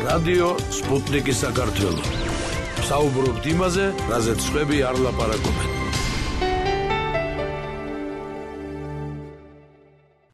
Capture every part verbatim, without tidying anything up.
რადიო სპუტნიკი საქართველო. საუბრობთ იმაზე, რაზეც სხვები არ ლაპარაკობენ.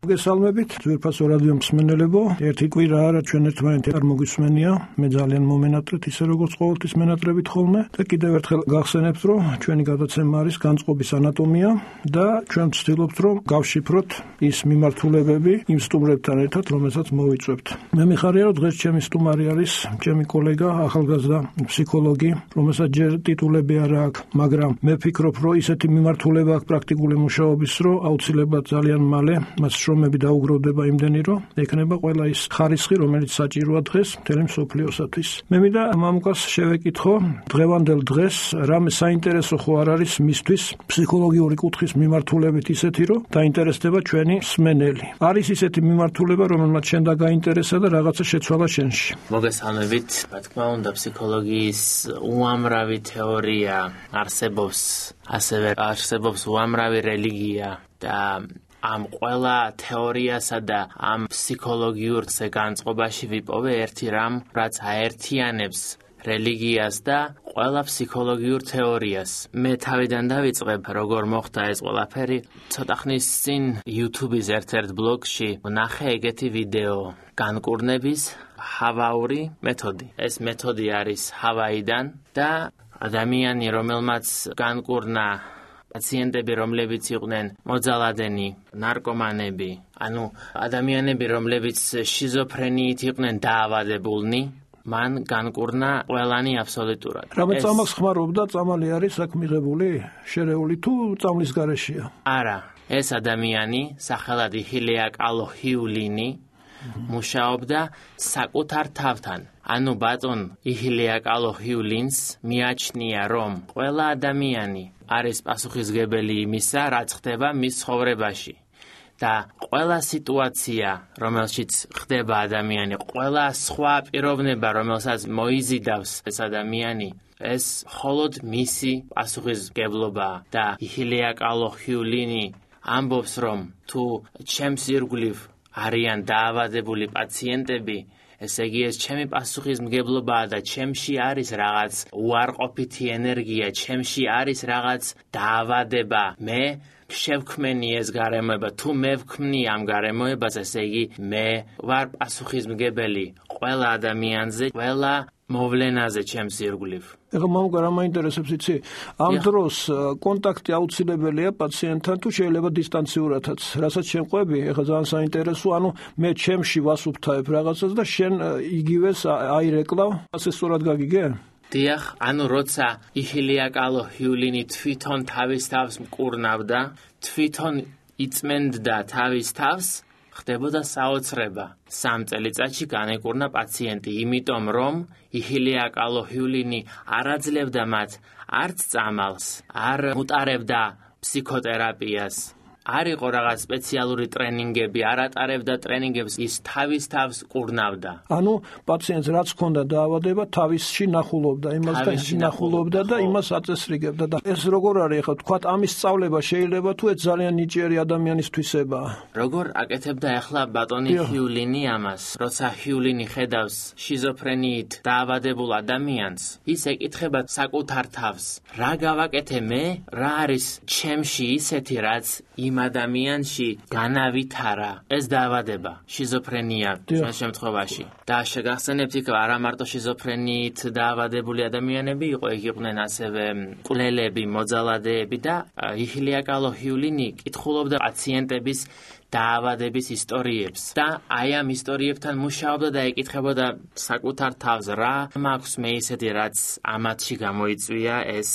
გესალმებით, ძვირფასო რადიო მსმენელებო, ერთი კვირა არა ჩვენ ერთმანეთი არ მოგვისმენია, მე ძალიან მომენატრეთ ისე როგორც ყოველთვის მენატრებით ხოლმე და კიდევ ერთხელ გახსენებთ, რომ ჩვენი გადაცემა არის განწყობის ანატომია და ჩვენ ვცდილობთ, რომ გავშიფროთ ის მიმართულებები იმ სტუმრებთან ერთად, რომელსაც მოვიწვევთ. მე მიხარია, რომ დღეს ჩემი სტუმარი არის ჩემი კოლეგა, ახალგაზრდა ფსიქოლოგი, რომელსაც ჯერ ტიტულები არ აქვს, მაგრამ მე ვფიქრობ, რომ ისეთი მიმართულება აქვს პრაქტიკული მუშაობის, რომ აუცილებლად ძალიან მალე მას შრომები დაუგროვდება იმდენი, რომ ექნება ყველა ის ხარისხი, რომელიც საჭიროა დღეს მთელი მსოფლიოსათვის. მე მინდა მამუკას შევეკითხო, დღევანდელ დღეს რამე საინტერესო ხო არ არის მისთვის ფსიქოლოგიური კუთხის მიმართულებით ისეთი, რომ დაინტერესდება ჩვენი მსმენელი. არის ისეთი მიმართულება, რომელმაც შენ და გაინტერესა და რაღაცა შეცვალა შენში. მოგესალმებით, რა თქმა უნდა, ფსიქოლოგიის უამრავი თეორია არსებობს, ასევე არსებობს უამრავი რელიგია და ამ ყველა თეორიასა და ამ ფსიქოლოგიურ განწყობაში ვიპოვე ერთი რამ, რაც აერთიანებს რელიგიას და ყველა ფსიქოლოგიურ თეორიას. მე თავიდან დავიწყებ, როგორ მოხდა ეს ყველაფერი. ცოტა ხნის წინ YouTube-ის ერთ-ერთ ბლოგში ვნახე ეგეთი ვიდეო, განკურნების ჰავაური მეთოდი. ეს მეთოდი არის ჰავაიდან და ადამიანი, რომელმაც განკურნა პაციენტები, რომლებიც იყვნენ მოძალადენი, ნარკომანები, ანუ ადამიანები, რომლებიც შიზოფრენიით იყვნენ დაავადებულნი, მან განკურნა ყველანი აბსოლუტურად. რამე წამალს ხმარობდა, წამალი არის აქ მიღებული, შერეული თუ წამლის გარეშეა? არა, ეს ადამიანი, სახელად იჰილია კალოჰიულინი, მუშაობდა საკუთარ თავთან. ანუ ბატონ იჰილია კალოჰიულინს მიაჩნია, რომ ყველა ადამიანი არის პასუხისმგებელი იმისა, რაც ხდება მის ცხოვრებაში. და ყველა სიტუაცია, რომელშიც ხდება ადამიანი, ყველა სხვა პიროვნება, რომელსაც მოიზიდავს ეს ადამიანი, ეს მხოლოდ მისი პასუხისმგებლობაა. და იჰილია კალოჰიულინი ამბობს, რომ თუ ჩემს ირგვლივ არიან დაავადებული პაციენტები, ესე იგი ეს ჩემი პასუხისმგებლობაა და ჩემში არის რაღაც უარყოფითი ენერგია, ჩემში არის რაღაც დაავადება. მე შევქმენი ეს გარემოება, თუ მე ვქმნი ამ გარემოებას, ესე იგი მე ვარ პასუხისმგებელი ყველა ადამიანზე, ყველა მოვლენაზე ჩემს ირგვლივ. ეხლა მამუკა რა მაინტერესებს იცი? ამ დროს კონტაქტი აუცილებელია პაციენტთან თუ შეიძლება დისტანციურადაც? რასაც შენ ყვები, ეხლა ძალიან საინტერესო, ანუ მე ჩემში ვასუფთავებ რაღაცას და შენ იგივეს აირეკლავ, ასე სწორად გაგიგე? დიახ, ანუ როცა იჰილია კალოჰიულინი თვითონ თავის თავს მკურნავდა, თვითონ იწმენდდა თავის თავს, ხდებოდა საოცრება. სამ წელიწადში განეკურნა პაციენტი, იმიტომ რომ იჰილია კალოჰიულინი არ აძლევდა მათ არც წამალს, არ უტარებდა ფსიქოთერაპიას. არ იყო რაღაც სპეციალური ტრენინგები, არ ატარებდა ტრენინგებს, ის თავის თავს კურნავდა. ანუ პაციენტს რაც ჰქონდა დაავადება, თავისში ნახულობდა, იმას და ნახულობდა და იმას აწესრიგებდა. და ეს როგორ არის ახლა თქვათ ამის სწავლება შეიძლება თუ ეს ძალიან ნიჭიერი ადამიანისთვისებაა? როგორ აკეთებდა ახლა ბატონი ჰიულინი ამას? როცა ჰიულინი ხედავს შიზოფრენიით დაავადებულ ადამიანს, ის ეკითხება საკუთარ თავს, რა გავაკეთე მე? რა არის ჩემში ისეთი, რაც იმ ადამიანში განავითარა ეს დაავადება, შიზოფრენია ჩვენ შემთხვევაში. და შეგახსენებთ, იქ არა მარტო შიზოფრენიით დაავადებული ადამიანები იყო, იქ იყვნენ ასევე მკვლელები, მოძალადეები და იჰილია კალოჰიულინი კითხულობდა პაციენტების დაავადების ისტორიებს და აი ამ ისტორიებთან მუშაობდა და ეკითხებოდა საკუთარ თავს, რა მაქვს მე ისეთი, რაც ამათში გამოიწვია ეს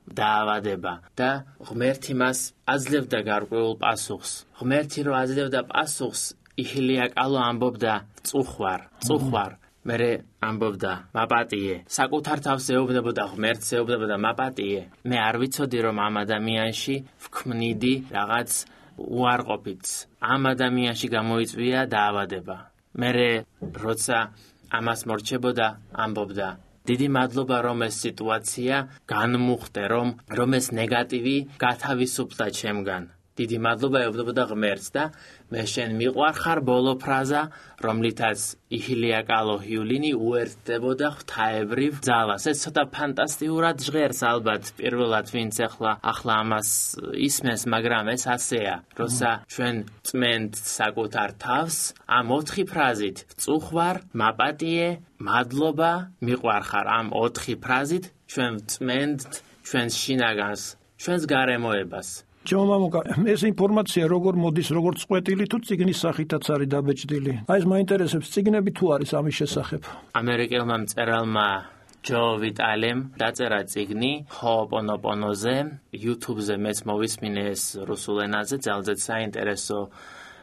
დაავადება და ღმერთი მას აძლევდა გარკვეულ პასუხს. ღმერთი რო აძლევდა პასუხს, იჰილია კალო ამბობდა წუხვარ, წუხვარ. მერე ამბობდა მაპატიე. საკუთარ თავს ეუბნებოდა ღმერთს, ეუბნებოდა მაპატიე. მე არ ვიცოდი რომ ამ ადამიანში ვქმნიდი რაღაც უარყოფითს. ამ ადამიანში გამოიწვია დაავადება. მერე როცა ამას მორჩებოდა, ამბობდა დიდი მადლობა რომ ეს სიტუაცია განმუხტე, რომ რომ ეს ნეგატივი გათავისუფლდა ჩემგან. დიდი მადლობა ეუბნებოდა ღმერთს და მე შენ მიყვარხარ ბოლო ფრაზა, რომლითაც იჰილია კალოჰიულინი უერთდებოდა ღვთაებრივ ძალას. ეს ცოტა ფანტასტიკურად ჟღერს ალბათ პირველად ვინც ახლა ახლა ამას ისმენს, მაგრამ ეს ასეა, როცა ჩვენ წმენთ საკუთარ თავს ამ ოთხი ფრაზით წუხვარ, მაპატიე, მადლობა, მიყვარხარ, ამ ოთხი ფრაზით ჩვენ წმენთ ჩვენს შინაგანს, ჩვენს გარემოებას. ჩემო მამუკა, ეს ინფორმაცია როგორ მოდის, როგორ წყვეტილი თუ წიგნის სახითაც არის დაბეჭდილი? აი ეს მაინტერესებს, წიგნები თუ არის ამის შესახებ? ამერიკელმა მწერალმა ჯო ვიტალემ დაწერა წიგნი ჰოოპონოპონოზე, YouTube-ზე მეც მოვისმინე ეს რუსულ ენაზე, ძალზედ საინტერესო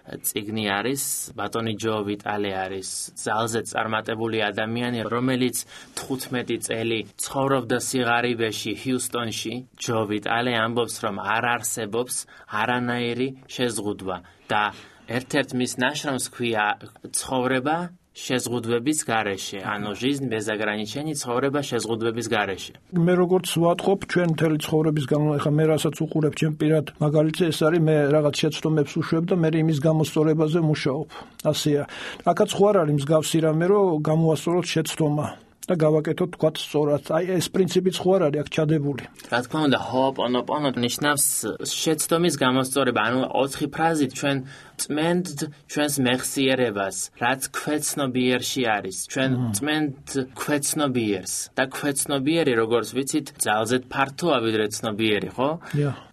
წიგნი არის. ბატონი ჯო ვიტალე არის ძალზედ წარმატებული ადამიანი, რომელიც თხუთმეტი წელი ცხოვრობდა სიღარიბეში ჰიუსტონში. ჯო ვიტალე ამბობს, რომ არ არსებობს არანაირი შეზღუდვა და ერთ-ერთ მის ნაშრომს ქვია ცხოვრება შეზღუდვების გარეშე, ანუ жизнь без ограничений, ცხოვრება შეზღუდვების გარეშე. მე როგორც ვატყობ ჩვენ მთელი ცხოვრების განმავლობაში, ხა მე რასაც უყურებ ჩემ პირად მაგალითზე ეს არის, მე რაღაც შეცდომებს უშვებ და მე იმის გამოსწორებაზე მუშაობ. ასეა. აქაც ხო არ არის მსგავსი რამე, რომ გამოვასწოროთ შეცდომა და გავაკეთოთ თქვათ სწორად. აი ეს პრინციპიც ხო არ არის აქ ჩადებული. რა თქმა უნდა, ჰოოპონოპონო ნიშნავს შეცდომის გამოსწორება, ანუ ოთხი ფრაზით ჩვენ წმენთ ჩვენს მეხსიერებას, რაც ქვეცნობიერში არის. ჩვენ წმენთ ქვეცნობიერს და ქვეცნობიერი, როგორც ვიცით, ძალზედ ფართოა ვიდრე ცნობიერი, ხო?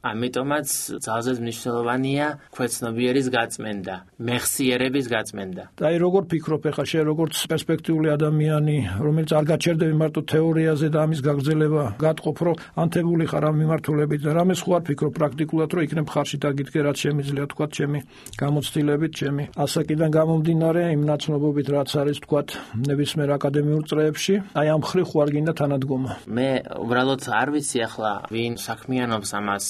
ამიტომაც ძალზედ მნიშვნელოვანია ქვეცნობიერის გაწმენდა, მეხსიერების გაწმენდა. და აი როგორ ფიქრობ ახლა შენ როგორც პერსპექტიული ადამიანი, რომელიც არ გაჩერდები მარტო თეორიაზე და ამის გაგრძელება, გატყობ, რომ ანთებული ხარ ამ მიმართულებით და რამეს ხო არ ფიქრობ პრაქტიკულად, რომ იქნებ ხარში დაგიდგე, რაც შემიძლია თქვა ჩემი გამოცდილებით, ჩემი ასაკიდან გამომდინარე, იმ ნაცნობობით, რაც არის თქვა ნებისმიერ აკადემიურ წრეებში, აი ამ ხრი ხო არ გინდა თანადგომა. მე უბრალოდ არ ვიცი ახლა ვინ საქმიანობს ამას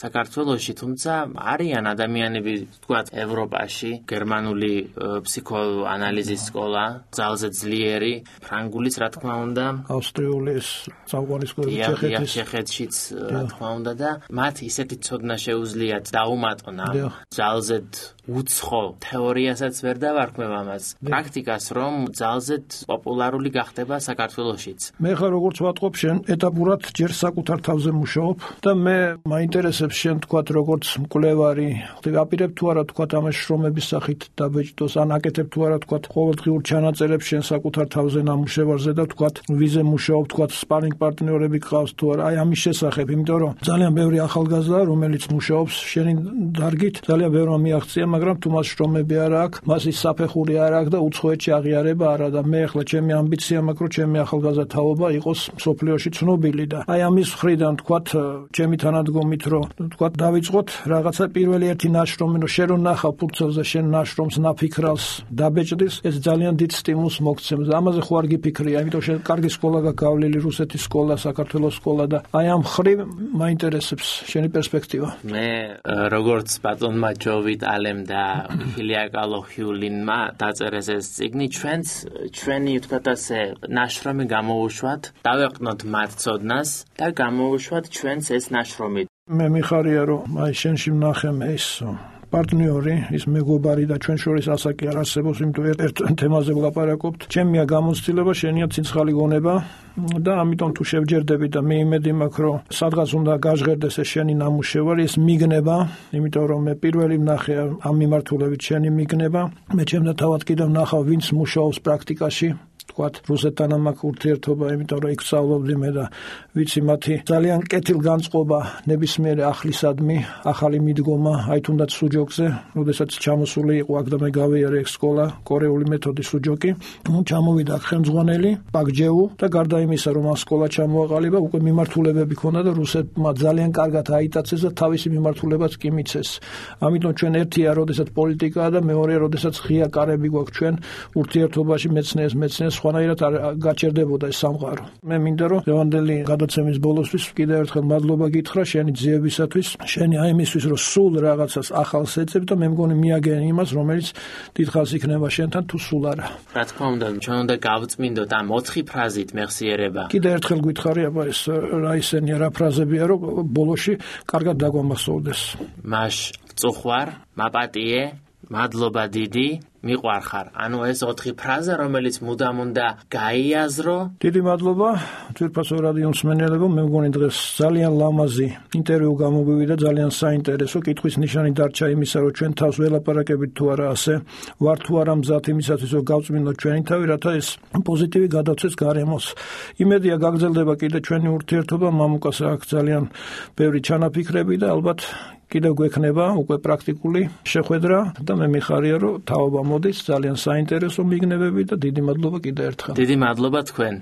საქართველოში, თუმცა არიან ადამიანები, თქვათ, ევროპაში, გერმანული ფსიქოანალიზის სკოლა, ძალზედ ძლიერი, ფრანგულიც, რა თქმა უნდა, ავსტრიული წავყვანი სკოლა ჩეხეთის, ჩეხეთშიც, რა თქმა უნდა და მათ ისეთი ცოდნა შეუძლიათ დაუმატონ ამ ძალზედ უცხო თეორიასაც ვერ დავარქმევ ამას, პრაქტიკას, რომ ძალზედ პოპულარული გახდება საქართველოშიც. მე ხა როგორც ვატყობ, შენ ეტაპურად ჯერ საკუთარ თავზე მუშაობ და მე მაინტერესებს შენ თქვათ როგორც მკვლევარი, ვაპირებ თუ არა თქვათ ამას შრომების სახით დაბეჭდოს, ან აკეთებ თუ არა თქვათ ყოველდღიურ ჩანაწერებს შენ საკუთარ თავზე ნამუშევარზე და თქვათ ვიზე მუშაობ, თქვათ სპარინგ პარტნიორები გყავს თუ არა, აი ამის შესახებ, იმიტომ რომ ძალიან ბევრი ახალგაზრდა, რომელიც მუშაობს შენი დარგით, ძალიან ბევრმა მიაღწია, მაგრამ თუ მას შრომები არ აქვს, მას ის საფეხური არ აქვს და უცხოეთში აღიარება არა და მე ახლა ჩემი ამბიცია მაქვს, რომ ჩემი ახალგაზრდა თაობა იყოს მსოფლიოში ცნობილი და აი ამის მხრიდან თქვათ ჩემი თანადგომით, რომ თქვათ დავიწყოთ რაღაცა პირველი ერთი ნაშრომი, რომ შენ რო ნახავ ფურცელზე შენ ნაშრომს, ნაფიქრალს დაბეჭდის, ეს ძალიან დიდ სტიმულს მოგცემს და ამაზე ხო არ გიფიქრია, იმიტომ შენ კარგი სკოლა გაგავლილი, რუსეთის სკოლა, საქართველოს სკოლა და აი ამ ხრივ მაინტერესებს შენი პერსპექტივა. მე როგორც ბატონმა ჯო ვიტალემ და იჰილია კალოჰიულინმა დაწერეს ეს წიგნი, ჩვენც ჩვენი თქვათ ასე ნაშრომი გამოუშვათ, დავეყნოთ მათ ცოდნას და გამოუშვათ ჩვენც ეს ნაშრომი. მე მიხარია რომ აი შენში ვნახე ეს პარტნიორი, ის მეგობარი და ჩვენ შორის ასაკი არ არსებობს, იმიტომ ერთ თემაზე ვლაპარაკობთ. ჩემია გამოცდილება, შენია ცინცხალი გონება და ამიტომ თუ შევჯერდები და მე იმედი მაქვს, რომ სადღაც უნდა გაჟღერდეს ეს შენი ნამუშევარი, ეს მიგნება, იმიტომ რომ მე პირველი ვნახე ამ მიმართულებით შენი მიგნება. მე ჩემთან თავად კიდევ ვნახავ, ვინც მუშაობს პრაქტიკაში. თქვათ რუსეთთან მაქვს ურთიერთობა, იმიტომ რომ იქ სწავლობდი მე და ვიცი მათი ძალიან კეთილგანწყობა ნებისმიერი ახლისადმი, ახალი მიდგომა, აი თუნდაც სუჯოკზე, როდესაც ჩამოსული იყო აქ და მე გავიარე ეგ სკოლა, კორეული მეთოდი სუჯოკი, ნუ ჩამოვიდა ხელმძღვანელი პაკჯეუ და გარდა იმისა, რომ ამ სკოლა ჩამოაყალიბა, უკვე მიმართულებები ქონდა და რუსეთმა ძალიან კარგად აიტაცეს და თავისი მიმართულებაც კი მიცეს. ამიტომ ჩვენ ერთია, როდესაც პოლიტიკაა და მეორეა, როდესაც ღია კარები გვაქვს ჩვენ ურთიერთობაში მეცნიერს მეცნიერს სხვა სხვანაირად არ გაჩერდებოდა ეს სამყარო. მე მინდა რომ დღევანდელი გადაცემის ბოლოსთვის კიდევ ერთხელ მადლობა გითხრა შენი ძიებისათვის, შენი აი იმისთვის რომ სულ რაღაცას ახალს ეძებ და მე მგონი მიაგენ იმას, რომელიც დიდხანს იქნება შენთან თუ სულ არა. რა თქმა უნდა, ჩვენ უნდა გავწმინდოთ ამ ოთხი ფრაზით მეხსიერება. კიდევ ერთხელ გითხარი აბა ეს რა ისენია რა ფრაზებია რომ ბოლოში კარგად დაგვამახსოვდეს. მაშ წუხვარ, მაპატიე, მადლობა დიდი, მიყვარხარ. ანუ ეს ოთხი ფრაზა, რომელიც მუდამ უნდა გაიაზრო. დიდი მადლობა ძვირფასო რადიო მსმენელებო, მე მგონი დღეს ძალიან ლამაზი ინტერვიუ გამოგვივიდა, ძალიან საინტერესო. კითხვის ნიშანი დარჩა იმისა, რომ ჩვენ თავს ველაპარაკებით თუ არა ასე, ვარ თუ არა მზად იმისათვის, რომ გავწმინდოთ ჩვენი თავი, რათა ეს პოზიტივი გადავცეს გარემოს. იმედია გაგრძელდება კიდე ჩვენი ურთიერთობა, მამუკას აქვს ძალიან ბევრი ჩანაფიქრები და ალბათ კიდევ გვექნება უკვე პრაქტიკული შეხვედრა და მე მიხარია რომ თაობა მოდის ძალიან საინტერესო მიგნებები და დიდი მადლობა კიდევ ერთხელ. დიდი მადლობა თქვენ.